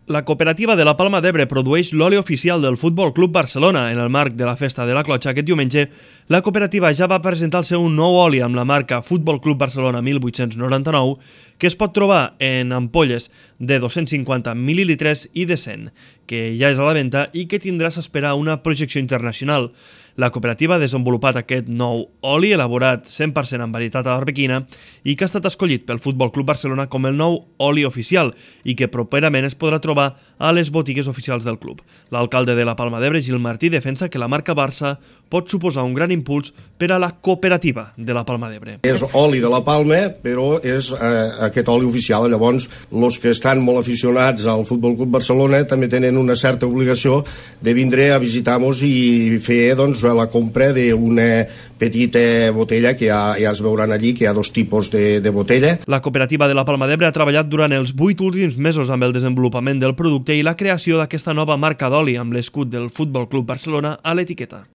La cooperativa de la Palma d'Ebre produeix l'oli oficial del Futbol Club Barcelona. En el marc de la Festa de la Clotxa aquest diumenge, la cooperativa ja va presentar el seu nou oli amb la marca Futbol Club Barcelona 1899, que es pot trobar en ampolles de 250 mil·lilitres i de 100, que ja és a la venda i que tindrà s'espera una projecció internacional. La cooperativa ha desenvolupat aquest nou oli elaborat 100% amb varietat arbequina i que ha estat escollit pel Futbol Club Barcelona com el nou oli oficial i que properament es podrà trobar a les botigues oficials del club. L'alcalde de la Palma d'Ebre, Gil Martí, defensa que la marca Barça pot suposar un gran impuls per a la cooperativa de la Palma d'Ebre. És oli de la Palma, però és aquest oli oficial. Llavors, els que estan molt aficionats al Futbol Club Barcelona també tenen una certa obligació de vindre a visitar-nos i fer la compra d'una petita botella que ja es veuran allí, que hi ha dos tipus de botella. La cooperativa de la Palma d'Ebre ha treballat durant els 8 últims mesos amb el desenvolupament del producte i la creació d'aquesta nova marca d'oli amb l'escut del Futbol Club Barcelona a l'etiqueta.